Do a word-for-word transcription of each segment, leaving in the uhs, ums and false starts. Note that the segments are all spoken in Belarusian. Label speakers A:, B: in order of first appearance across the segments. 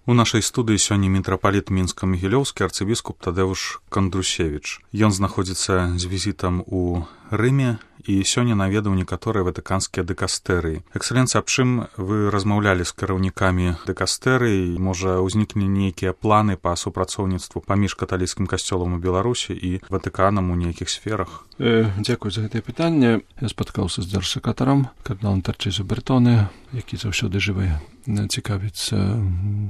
A: У нашай студыі сёння мітрапаліт мінска-магілёўскі арцыбіскуп Тадэвуш Кандрусевіч. Ён знаходзіцца з візітам у Рыме і сёння наведаў некаторыя ватыканскія дыкастэрыі. Эксцэленцыя, аб чым вы размаўлялі з кіраўнікамі дыкастэрыі? Можа, ўзнікне нейкія планы па супрацоўніцтву паміж каталіцкім касцёлам у Беларусі і Ватыканам у нейкіх сферах?
B: Э, дзякуй за гэтае пытанне. Я спаткаўся з дзяржсакратарам, кардыналам Тарчызу Бертоне, які заўсёды жыве цікавіцца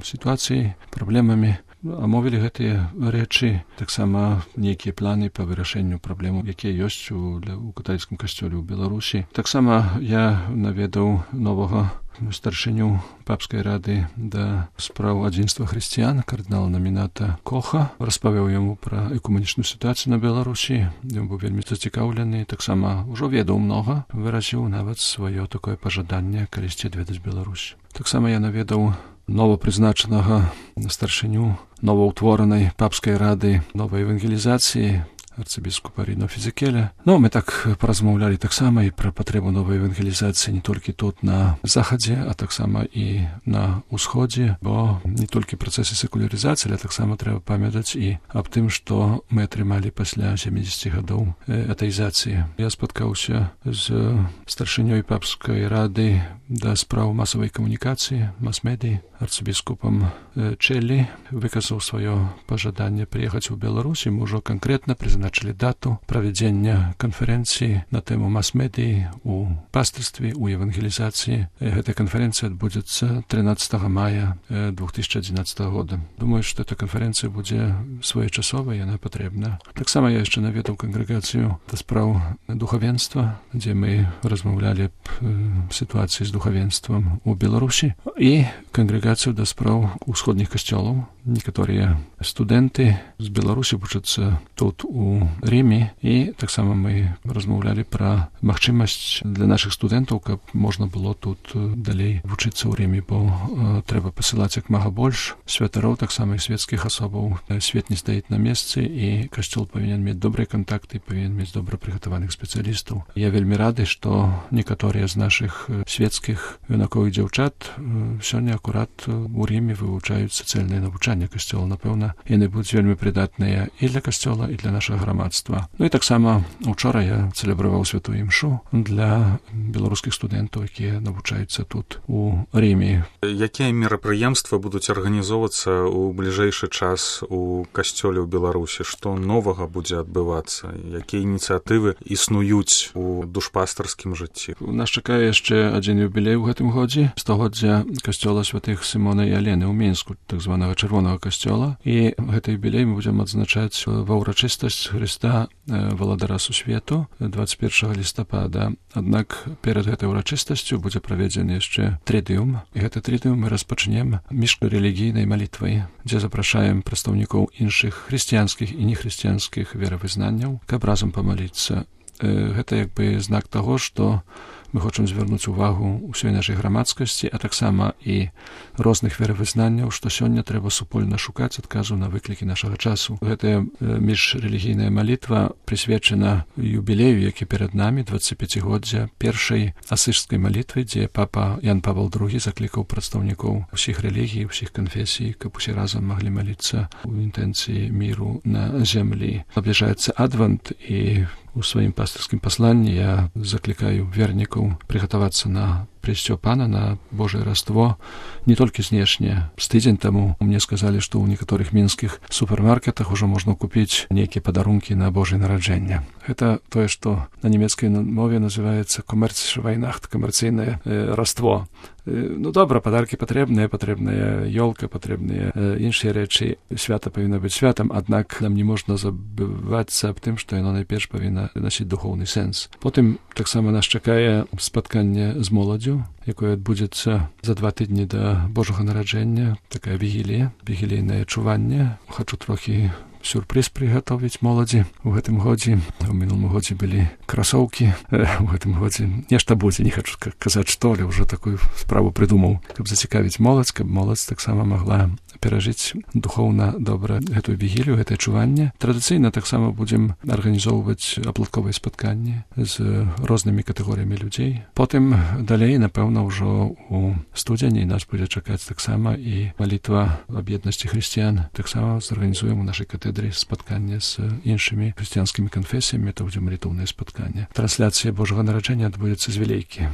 B: сітуацыяй, праблемамі. Амовілі гэтыя рэчы, таксама нейкія планы па вырашэнню праблемаў, якія ёсць у, у каталіцкім касцёле ў Беларусі. Таксама я наведаў новага старшыню папскай рады да спраў адзінства хрысціян, кардынала Номіната Коха, распавёў яму пра экумэнічную сітуацыю на Беларусі. Ён быў вельмі зацікаўлены, таксама ўжо ведаў многа, выразіў нават сваё такое пажаданне калісьці адведаць Беларусь. Таксама я наведаў новапрызначанага старшыню новаўтворанай папскай рады новай евангелізацыі арцыбіскупа Ріно Фізікеля. Ну, мы так паразмаўлялі таксама і пра патрэбу новай евангелізацыі не толькі тут на захадзе, а таксама і на ўсходзе, бо не толькі працэсы секулярызацыі, але таксама трэба памятаць і аб тым, што мы атрымалі пасля сямідзесяці гадоў атэізацыі. Я спаткаўся з старшынёй папскай рады да спраў масавай камунікацыі, мас-медыі, арцыбіскупам Чэллі, выказаў сваё пажаданне прыехаць у Беларусь, і мы ўжо канкрэтна прызначылі дату правядзення канферэнцыі на тэму мас-медыі у пастырстве, у евангелізацыі. Гэтая канферэнцыя адбудзецца трынаццатага мая две тысячи адзінаццатага года. Думаю, што эта канферэнцыя будзе своечасовая, яна патрэбна. Таксама я яшчэ наведаў кангрэгацыю да спраў духавенства, дзе мы размаўлялі аб сітуацыі з духавенствам у Беларусі, і кангрэгацыю да спраў усходніх касцёлаў. Некаторыя студэнты з Беларусі вучацца тут у Рыме, і таксама мы размаўлялі пра магчымасць для нашых студэнтаў, каб можна было тут далей вучыцца ў Рыме, бо э, трэба пасылаць як мага больш святароў, таксама і светскіх асобаў. Свет не стаіць на месцы, і касцёл павінен мець добрыя кантакты, павінен мець добра прыгатаваных спецыялістаў. Я вельмі рады, што некаторыя з нашых светскіх юнаковых дзяўчат сёння акурат у Рыме вывучаюць сацыяльнае навучанне касцёла. Напэўна, яны будуць вельмі прыдатныя і для касцёла, і для нашага грамадства. Ну і таксама учора я цэлебраваў святую імшу для беларускіх студэнтаў, якія навучаюцца тут у Рыме.
A: Якія мерапрыемствы будуць арганізоўвацца ў бліжэйшы час у касцёле ў Беларусі? Што новага будзе адбывацца? Якія ініцыятывы існуюць у душпастарскім жыцці?
B: Нас чакае яшчэ адзін юбілей у гэтым годзе, стагоддзя касцёла святых Сімона і Алены ў Мінску, так званага чырвонага касцёла. І гэты юбілей мы будзем адзначаць ва ўрачыстасць Хрыста Валадара Сусвету дваццаць першага лістапада. Аднак перад гэтай урачыстасцю будзе праведзены яшчэ трыдыум. І гэты трыдыум мы распачнем міжрэлігійнай малітвай, дзе запрашаем прадстаўнікоў іншых хрысціянскіх і нехрысціянскіх веравызнанняў, каб разам памаліцца. Гэта як бы знак таго, што мы хочам звярнуць увагу ўсёй нашай грамадскасці, а таксама і розных веравызнанняў, што сёння трэба супольна шукаць адказу на выклікі нашага часу. Гэтая міжрэлігійная малітва прысвечана юбілею, які перад намі, дваццаціпяцігоддзя першай асыжскай малітвы, дзе папа Ян Павел другі заклікаў прадстаўнікоў усіх рэлігій, усіх канфесій, каб усе разам маглі маліцца ў інтэнцыі міру на зямлі. Набліжаецца адвент, і у сваім пастырскім пасланні я заклікаю вернікаў прыгатавацца на прыйсцё Пана, на Божае Раство, не толькі знешне. З тыдзень таму мне сказалі, што ў некаторых мінскіх супермаркетах ужо можна купіць нейкія падарункі на Божае нараджэнне. Гэта тое, што на нямецкай мове называецца комерцвайнахт, камерцыйнае э, раство. Э, ну добра, падаркі патрэбныя, патрэбная ёлка, патрэбныя э, іншыя рэчы. Свята павінна быць святам, аднак нам не можна забывацца аб тым, што яно найперш павінна насіць духоўны сэнс. Потым таксама нас чакае спатканне з моладдзю, якое адбудзецца за два тыдні да Божага нараджэння, такая вігілія, вігілійнае чуванне. Хачу трохі сюрпрыз прыгатовіць моладзі у гэтым годзе. У мінулым годзе былі красоўкі, у гэтым годзе нешта будзе, не хачу казаць што, але ўжо такую справу прыдумаў, каб зацікавіць моладзь, каб моладзь таксама магла перажыць духоўна добра гэтую вігілію, гэтае чуванне. Традыцыйна таксама будзем арганізоўваць апладковыя спатканні з рознымі катэгорыямі людзей. Потым далей, напэўна, ўжо у студзені нас будзе чакаць таксама і малітва аб еднасці хрысціян. Таксама зарганізуем у нашай катедры спатканне з іншымі хрысціянскімі канфесіямі, то будзе малітоўнае спатканне. Трансляцыя Божага нараджэння адбудзецца з Вілейкі.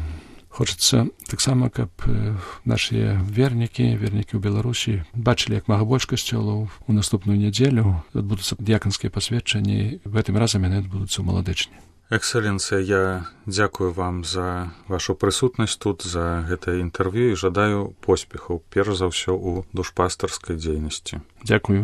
B: Хочацца таксама, каб нашыя вернікі, вернікі ў Беларусі бачылі, як мага больш касцёлаў. У наступную нядзелю адбудуцца дыяканскія пасведчанні. Гэтым разам яны адбудуцца ў Маладэчні.
A: Экселенцыя, я дзякую вам за вашу прысутнасць тут, за гэтае інтэрв'ю і жадаю поспехаў, перш за ўсё, у душпастарскай дзейнасці.
B: Дзякую.